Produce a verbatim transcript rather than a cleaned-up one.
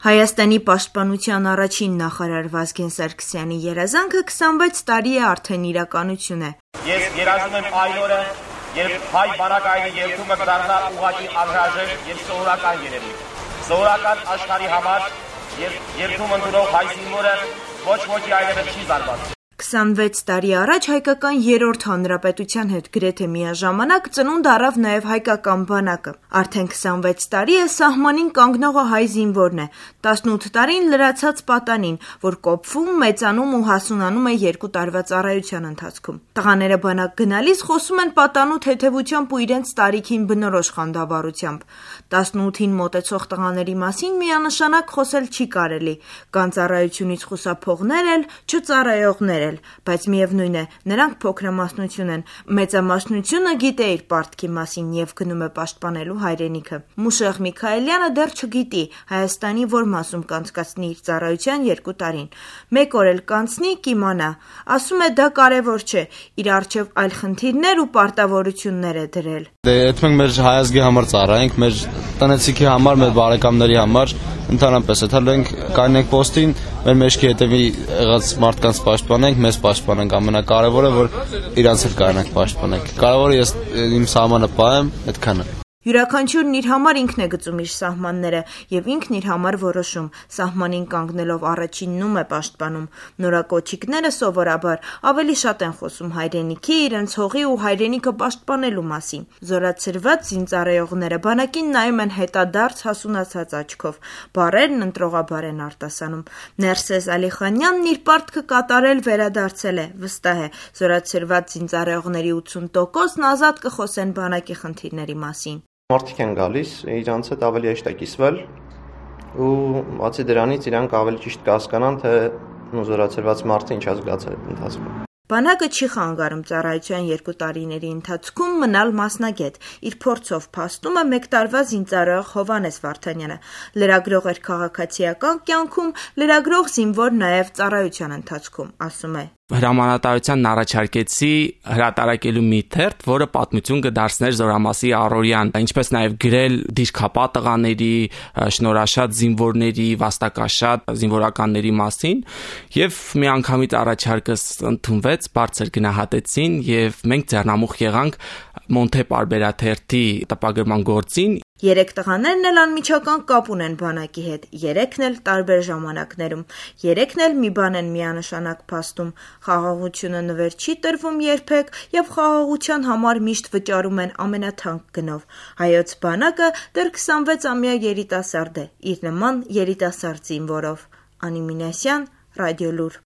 Հայաստանի պաշտպանության առաջին նախարար Վազգեն Սարգսյանի երազանքը քսանվեց տարի է արդեն իրականություն է։ Ես երազում եմ այն օրը, երբ հայ բանակայինի երթումը կդառնա ուղղակի անհրաժեշտ եւ սովորական երևույթ։ Սովորական աշխարհի համար երթում ընդունող հայ զինվորը ոչ ոքի այլևս չի զարմանում։ քսանվեց տարի առաջ հայկական երրորդ հանրապետության հետ գրեթե միաժամանակ ծնունդ առավ նաև հայկական բանակը։ Արդեն քսանվեց տարի է սահմանին կանգնողը հայ զինվորն է, տասնութ տարին լրացած պատանին, որ կոփվում, մեծանում ու հասունանում է երկու տարվա ծառայության ընթացքում։ Տղաները բանակ գնալիս խոսում են պատանու թեթևությամբ ու իրենց տարիքին բնորոշ խանդավառությամբ։ տասնութին մոտեցող տղաների մասին միանշանակ խոսել չի կարելի, կան ծառայությունից խուսափողներ էլ, չծառայողներ էլ, բայց միևնույն է, նրանք փոքրամասնություն են, մեծամասնությունը գիտե իր պարտքի մասին եւ գնում է պաշտպանելու հայրենիքը։ Մուշեղ Միքայելյանը դեռ չգիտի Հայաստանի որ մասում կանցկացնի իր ծառայության երկու տարին։ Մեկ օր էլ կանցնի, կիմանա։ Ասում է դա կարևոր չէ, իր առջև այլ խնդիրներ ու պարտավորություններ է դրել։ Դե այդ մենք մեր հայազգի համար ծառայենք, մեր տնեցիքի համար, մեր բարեկամների համար, ընդհանրապես եթե մենք կանենք պոստին, մեր մեջքի հետևի եղած մարդկանց պաշտպանենք, մեզ պաշտպանենք, ամենակարևորը որ իրանց էլ կանենք պաշտպանենք։ Կարևորը ես իմ սահմանը պահեմ, այդքանը։ Յուրաքանչյուրն իր համար ինքն է գծում իր սահմանները եւ ինքն իր համար որոշում, սահմանին կանգնելով առաջիննում է պաշտպանում։ Նորակոչիկները սովորաբար ավելի շատ են խոսում հայրենիքի, իրենց հողի ու հայրենիքը պաշտպանելու մասին։ Զորացրված զինծառայողները բանակին նայում են հետադարձ հասունացած աչքով, բառերն ընտրողաբար են արտասանում։ Ներսես Ալիխանյանն իր պարտքը կատարել վերադարձել է, վստահ է, զորացրված զինծառայողների ութսուն տոկոսն ազատ կխոսեն բանակի խնդիրների մասին։ Մարդիկ են գալիս, իրանց հետ ավելի հեշտ է կիսվել ու բացի դրանից իրանք ավելի ճիշտ կհասկանան, թե զորացրված մարդը ինչ է զգացել այդ ընթացքում։ Բանակը չի խանգարում ծառայության երկու տարիների ընթացքում մնալ մասնագետ։ Իր փորձով փաստում է մեկ տարվա զինծառայող Հովհաննես Վարդանյանը։ Լրագրող էր քաղաքացիական կյանքում, լրագրող զինվոր նաև ծառայության ընթացքում, ասում է։ Հրամանատարությանն առաջարկեցի հրատարակելու մի թերթ, որը պատմություն կդարձներ Զորամասի առօրյան, ինչպես նաև գրել դիրքապա տղաների, շնորհաշատ զինվորների, վաստակաշատ զինվորականների մասին, եւ միանգամից առաջարկս ընդունվեց, բարձր գնահատեցին եւ մենք ձեռնամուխ եղանք Մոնթե պարբերաթերթի տպագրման գործին։ Երեք տղաներն էլ անմիջական կապ ունեն բանակի հետ, երեքն էլ տարբեր ժամանակներում, երեքն էլ մի բան են միանշանակ փաստում, խաղաղությունը նվեր չի տրվում երբեք եւ խաղաղության համար միշտ վճարում են ամենաթանկ գնով։ Հայոց բանակը դեռ քսանվեցամյա երիտասարդ է, իր նման երիտասարդ զինվորով։ Անի Մինասյան, Ռադիոլուր։